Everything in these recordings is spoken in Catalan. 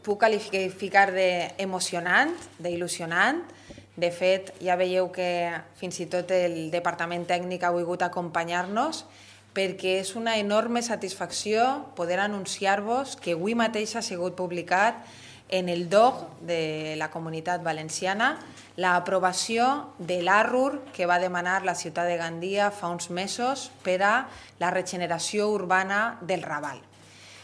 puc qualificar d'emocionant, d'il·lusionant. De fet, ja veieu que fins i tot el departament tècnic ha volgut acompanyar-nos, perquè és una enorme satisfacció poder anunciar-vos que avui mateix ha sigut publicat en el DOC de la Comunitat Valenciana l'aprovació de l'ARUR que va demanar la ciutat de Gandia fa uns mesos per a la regeneració urbana del Raval.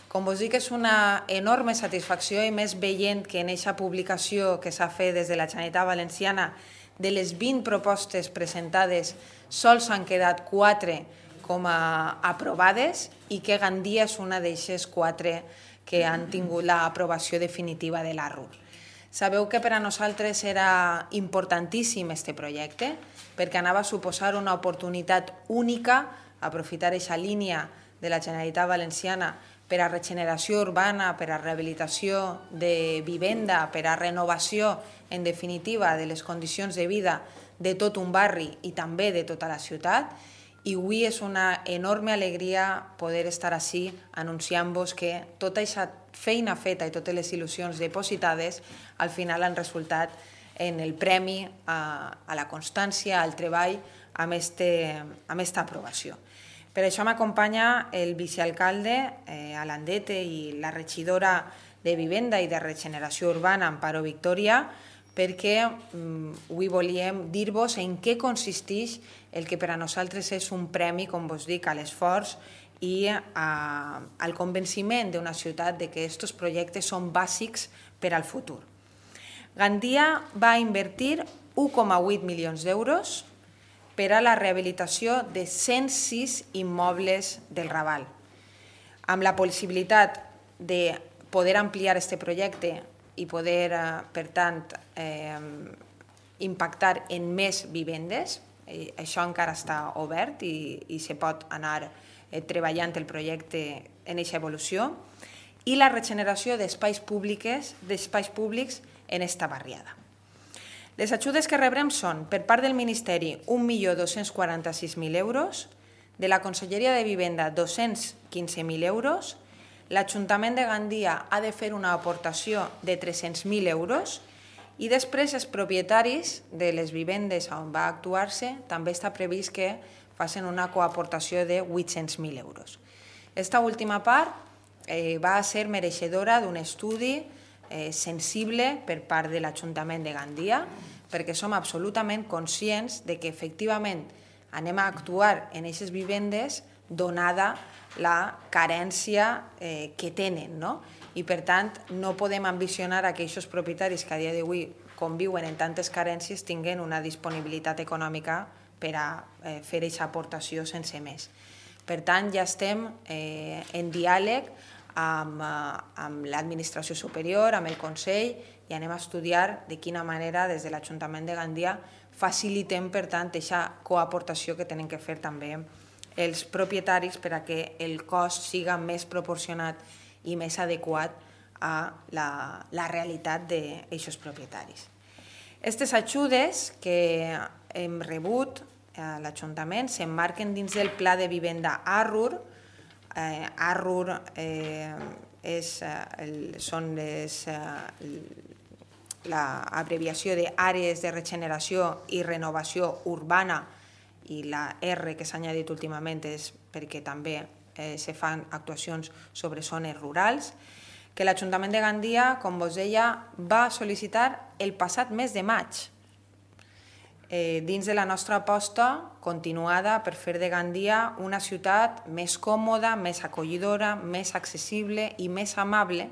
Com vos dic, és una enorme satisfacció, i més veient que en aquesta publicació que s'ha fet des de la Generalitat Valenciana de les 20 propostes presentades sols han quedat 4 com a aprovades i que Gandia és una d'aquestes 4 que han tingut l'aprovació definitiva de l'ARUR. Sabeu que per a nosaltres era importantíssim aquest projecte perquè anava a suposar una oportunitat única, aprofitar aquesta línia de la Generalitat Valenciana per a regeneració urbana, per a rehabilitació de vivenda, per a renovació, en definitiva, de les condicions de vida de tot un barri i també de tota la ciutat. I avui és una enorme alegria poder estar ací anunciant-vos que tota aquesta feina feta i totes les il·lusions depositades al final han resultat en el premi a la constància, al treball, amb aquesta aprovació. Per això m'acompanya el vicealcalde Alandete i la regidora de Vivenda i de Regeneració Urbana, Amparo Victoria, perquè avui volíem dir-vos en què consisteix el que per a nosaltres és un premi, com vos dic, a l'esforç i al convenciment d'una ciutat de que aquests projectes són bàsics per al futur. Gandia va invertir 1,8 milions d'euros per a la rehabilitació de 106 immobles del Raval, amb la possibilitat de poder ampliar aquest projecte i poder, per tant, impactar en més vivendes. Això encara està obert i se pot anar treballant el projecte en aquesta evolució, i la regeneració d'espais públics en aquesta barriada. Les ajudes que rebrem són, per part del Ministeri, 1.246.000 euros, de la Conselleria de Vivenda, 215.000 euros, l'Ajuntament de Gandia ha de fer una aportació de 300.000 euros i després els propietaris de les vivendes on va actuar-se també està previst que facin una coaportació de 800.000 euros. Aquesta última part va ser mereixedora d'un estudi sensible per part de l'Ajuntament de Gandia, perquè som absolutament conscients de que efectivament anem a actuar en aquestes vivendes donada la carència que tenen, i per tant no podem ambicionar que aquests propietaris que a dia d'avui conviuen en tantes carències tinguin una disponibilitat econòmica per a fer aquesta aportació sense més. Per tant, ja estem en diàleg amb l'administració superior, amb el Consell, i anem a estudiar de quina manera des de l'Ajuntament de Gandia facilitem, per tant, aquesta coaportació que tenen que fer també els propietaris per a que el cost siga més proporcionat i més adequat a la realitat d'aquests propietaris. Aquestes ajudes que hem rebut a l'Ajuntament s'emmarquen dins del Pla de Vivenda ARUR. ARUR són l'abreviació d'Àrees de Regeneració i Renovació Urbana, i la R que s'ha añadit últimament és perquè també se fan actuacions sobre zones rurals, que l'Ajuntament de Gandia, com vos deia, va sol·licitar el passat mes de maig, dins de la nostra aposta continuada per fer de Gandia una ciutat més còmoda, més acollidora, més accessible i més amable,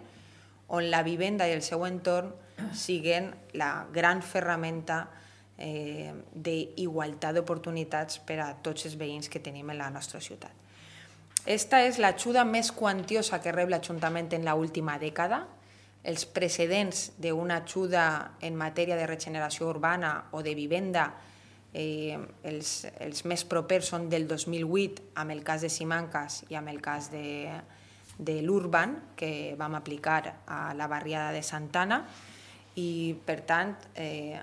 on la vivenda i el seu entorn siguin la gran ferramenta d'igualtat d'oportunitats per a tots els veïns que tenim en la nostra ciutat. Esta és l'ajuda més quantiosa que rep l'Ajuntament en l'última dècada. Els precedents d'una ajuda en matèria de regeneració urbana o de vivenda, els més propers són del 2008, amb el cas de Simancas i amb el cas de l'Urban, que vam aplicar a la barriada de Santana, i per tant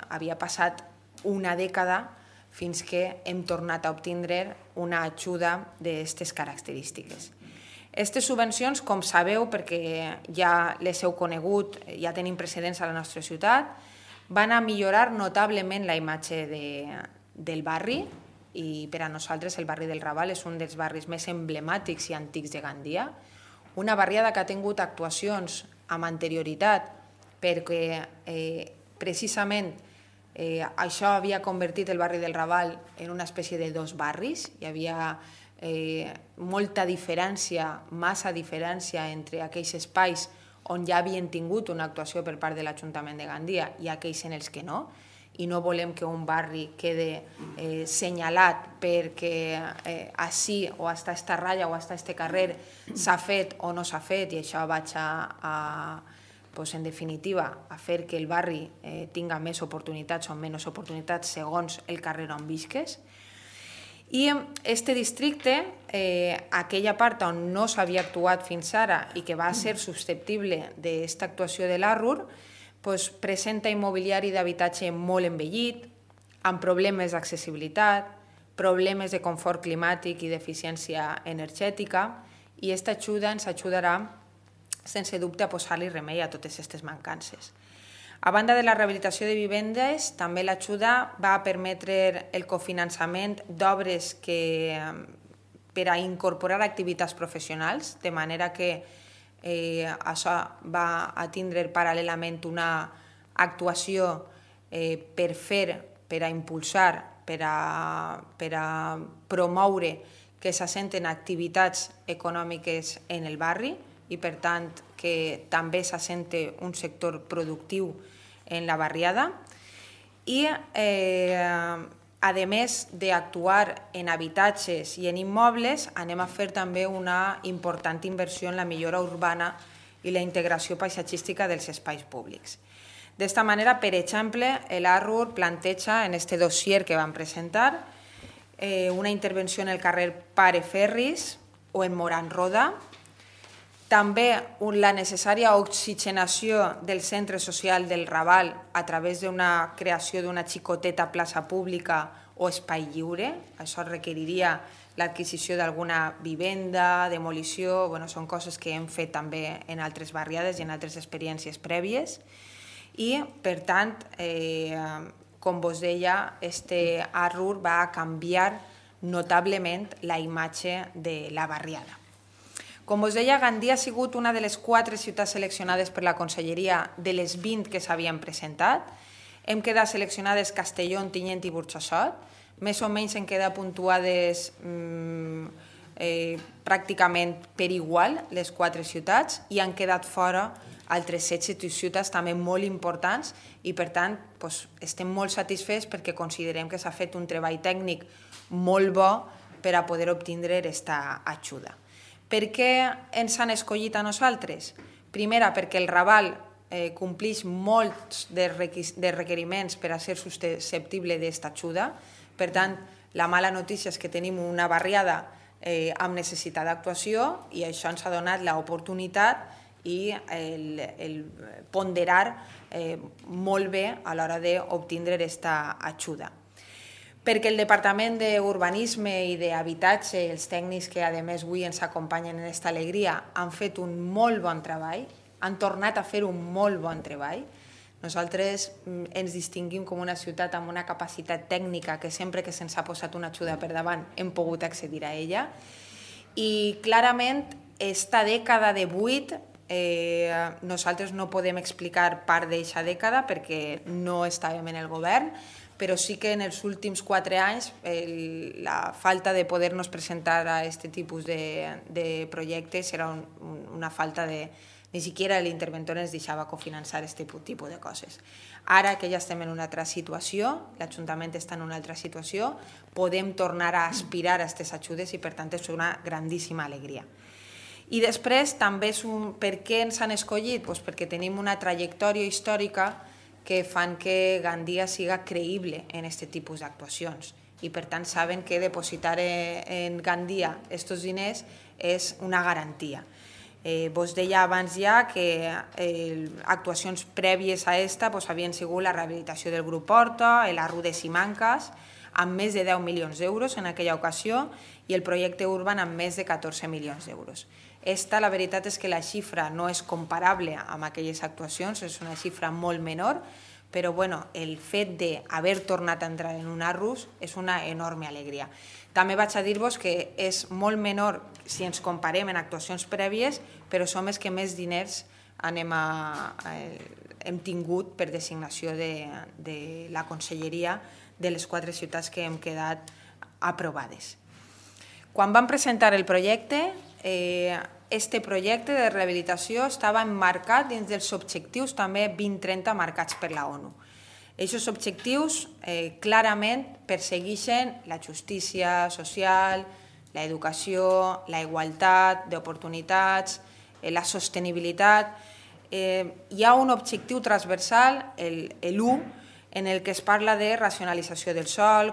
havia passat una dècada fins que hem tornat a obtindre una ajuda d'aquestes característiques. Aquestes subvencions, com sabeu, perquè ja les heu conegut, ja tenim precedents a la nostra ciutat, van a millorar notablement la imatge del barri, i per a nosaltres el barri del Raval és un dels barris més emblemàtics i antics de Gandia, una barriada que ha tingut actuacions amb anterioritat perquè precisament això havia convertit el barri del Raval en una espècie de dos barris. Hi havia molta diferència, massa diferència entre aquells espais on ja havien tingut una actuació per part de l'Ajuntament de Gandia i aquells en els que no, i no volem que un barri quede senyalat perquè així o hasta esta ratlla o hasta este carrer s'ha fet o no s'ha fet, i això vaig en definitiva a fer que el barri tinga més oportunitats o menys oportunitats segons el carrer on visques. I este districte, aquella part on no s'havia actuat fins ara i que va ser susceptible d'aquesta actuació de l'ARUR, presenta immobiliari d'habitatge molt envellit, amb problemes d'accessibilitat, problemes de confort climàtic i d'eficiència energètica, i aquesta ajuda ens ajudarà, sense dubte, a posar-li remei a totes aquestes mancances. A banda de la rehabilitació de vivendes, també l'ajuda va permetre el cofinançament d'obres per a incorporar activitats professionals, de manera que això va a tindre paral·lelament una actuació per a impulsar, per a promoure que s'assenten activitats econòmiques en el barri i, per tant, que també s'assente un sector productiu en la barriada. I, a més d'actuar en habitatges i en immobles, anem a fer també una important inversió en la millora urbana i la integració paisatgística dels espais públics. D'esta manera, per exemple, l'ARUR planteja en aquest dossier que vam presentar una intervenció en el carrer Pare Ferris o en Moran Roda, també la necessària oxigenació del centre social del Raval a través d'una creació d'una xicoteta plaça pública o espai lliure. Això requeriria l'adquisició d'alguna vivenda, demolició, són coses que hem fet també en altres barriades i en altres experiències prèvies. I, per tant, com vos deia, este ARUR va a canviar notablement la imatge de la barriada. Com us deia, Gandia ha sigut una de les 4 ciutats seleccionades per la Conselleria de les 20 que s'havien presentat. Hem quedat seleccionades Castelló, Ontinyent i Burxassot. Més o menys hem quedat puntuades pràcticament per igual les 4 ciutats i han quedat fora altres 7 ciutats també molt importants i, per tant, estem molt satisfets perquè considerem que s'ha fet un treball tècnic molt bo per a poder obtindre aquesta ajuda. Per què ens han escollit a nosaltres? Primera, perquè el Raval compleix molts de requeriments per a ser susceptible d'aquesta ajuda. Per tant, la mala notícia és que tenim una barriada amb necessitat d'actuació i això ens ha donat l'oportunitat i el ponderar molt bé a l'hora d'obtindre aquesta ajuda. Perquè el Departament d'Urbanisme i d'Habitatge, els tècnics que a més avui ens acompanyen en aquesta alegria, han fet un molt bon treball, han tornat a fer un molt bon treball. Nosaltres ens distinguim com una ciutat amb una capacitat tècnica que sempre que se'ns ha posat una ajuda per davant hem pogut accedir a ella. I clarament, esta dècada de 8, nosaltres no podem explicar part d'aquesta dècada perquè no estàvem en el govern, però sí que en els últims 4 anys la falta de poder-nos presentar a aquest tipus de projectes era una falta de... Ni siquiera l'interventor ens deixava cofinançar aquest tipus de coses. Ara que ja estem en una altra situació, l'Ajuntament està en una altra situació, podem tornar a aspirar a aquestes ajudes i, per tant, és una grandíssima alegria. I després, també per què ens han escollit? Perquè tenim una trajectòria històrica que fan que Gandia siga creïble en aquest tipus d'actuacions i, per tant, saben que depositar en Gandia aquests diners és una garantia. Vos deia abans ja que actuacions prèvies a aquesta havien sigut la rehabilitació del grup Horta, l'ARUR de Simancas, amb més de 10 milions d'euros en aquella ocasió i el projecte Urban amb més de 14 milions d'euros. La veritat és que la xifra no és comparable amb aquelles actuacions, és una xifra molt menor, però el fet d'haver tornat a entrar en un Arrus és una enorme alegria. També vaig a dir-vos que és molt menor si ens comparem en actuacions prèvies, però som els que més diners hem tingut per designació de la conselleria de les 4 ciutats que hem quedat aprovades. Quan vam presentar el projecte, este projecte de rehabilitació estava emmarcat dins dels objectius també 2030 marcats per la ONU. Aquests objectius clarament persegueixen la justícia social, l'educació, la igualtat d'oportunitats, la sostenibilitat. Hi ha un objectiu transversal, l'1, en el que es parla de racionalització del sòl,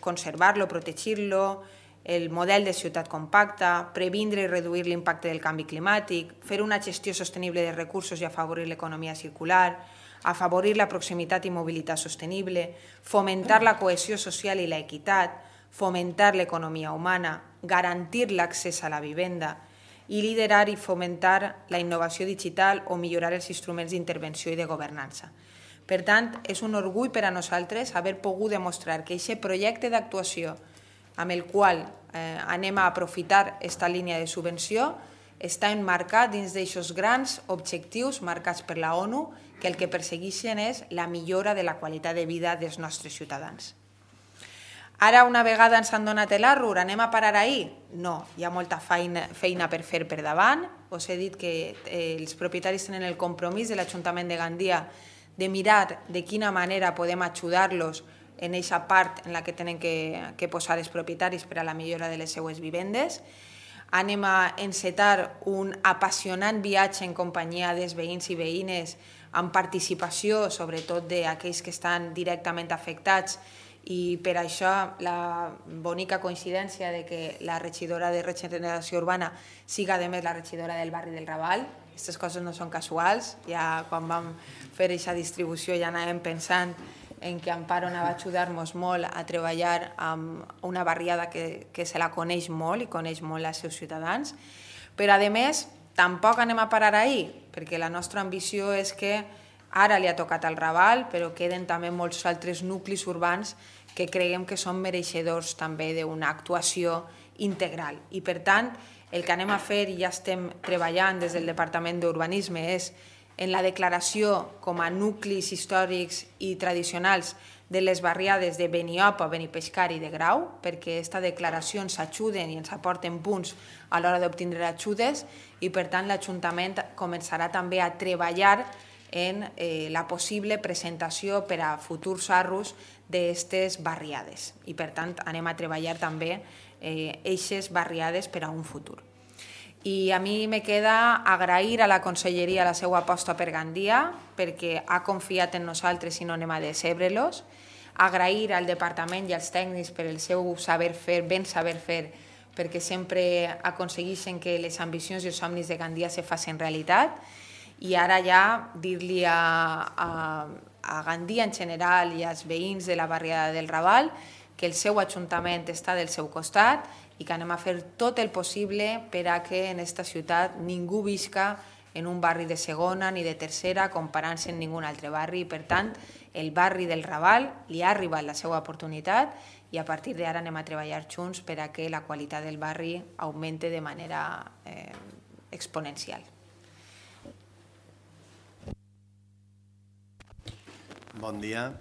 conservar-lo, protegir-lo, el model de ciutat compacta, previndre i reduir l'impacte del canvi climàtic, fer una gestió sostenible de recursos i afavorir l'economia circular, afavorir la proximitat i mobilitat sostenible, fomentar la cohesió social i l'equitat, fomentar l'economia humana, garantir l'accés a la vivenda i liderar i fomentar la innovació digital o millorar els instruments d'intervenció i de governança. Per tant, és un orgull per a nosaltres haver pogut demostrar que aquest projecte d'actuació amb el qual anem a aprofitar aquesta línia de subvenció està emmarcat dins d'aquests grans objectius marcats per la ONU que el que persegueixen és la millora de la qualitat de vida dels nostres ciutadans. Ara, una vegada ens han donat l'Arrur, anem a parar ahir? No, hi ha molta feina per fer per davant. Us he dit que els propietaris tenen el compromís de l'Ajuntament de Gandia de mirar de quina manera podem ajudar-los en aquesta part en la que tenen que posar els propietaris per a la millora de les seues vivendes. Anem a encetar un apassionant viatge en companyia dels veïns i veïnes amb participació, sobretot d'aquells que estan directament afectats, i per això la bonica coincidència de que la regidora de Regeneració Urbana siga a més la regidora del barri del Raval. Aquestes coses no són casuals, ja quan vam fer aquesta distribució ja anàvem pensant en què Amparo anava a ajudar-nos molt a treballar amb una barriada que se la coneix molt i coneix molt els seus ciutadans. Però, a més, tampoc anem a parar ahir, perquè la nostra ambició és que ara li ha tocat al Raval, però queden també molts altres nuclis urbans que creiem que són mereixedors també d'una actuació integral. I, per tant, el que anem a fer, i ja estem treballant des del Departament d'Urbanisme, és en la declaració com a nuclis històrics i tradicionals de les barriades de Beniopa, Benipescar i de Grau, perquè aquesta declaració ens ajuden i ens aporten punts a l'hora d'obtindre ajudes i, per tant, l'Ajuntament començarà també a treballar en la possible presentació per a futurs Arrus d'aquestes barriades. I, per tant, anem a treballar també aquestes barriades per a un futur. I a mi me queda agrair a la Conselleria la seva aposta per Gandia, perquè ha confiat en nosaltres i no anem a decebre-los. Agrair al Departament i als tècnics per el seu saber fer, ben saber fer, perquè sempre aconsegueixen que les ambicions i els somnis de Gandia se facin realitat. I ara ja dir-li a Gandia en general i als veïns de la barriada del Raval que el seu Ajuntament està del seu costat i que anem a fer tot el possible per a que en aquesta ciutat ningú visca en un barri de segona ni de tercera comparant-se amb ningun altre barri. Per tant, el barri del Raval li ha arribat la seva oportunitat i a partir d'ara anem a treballar junts per a que la qualitat del barri augmente de manera exponencial. Bon dia.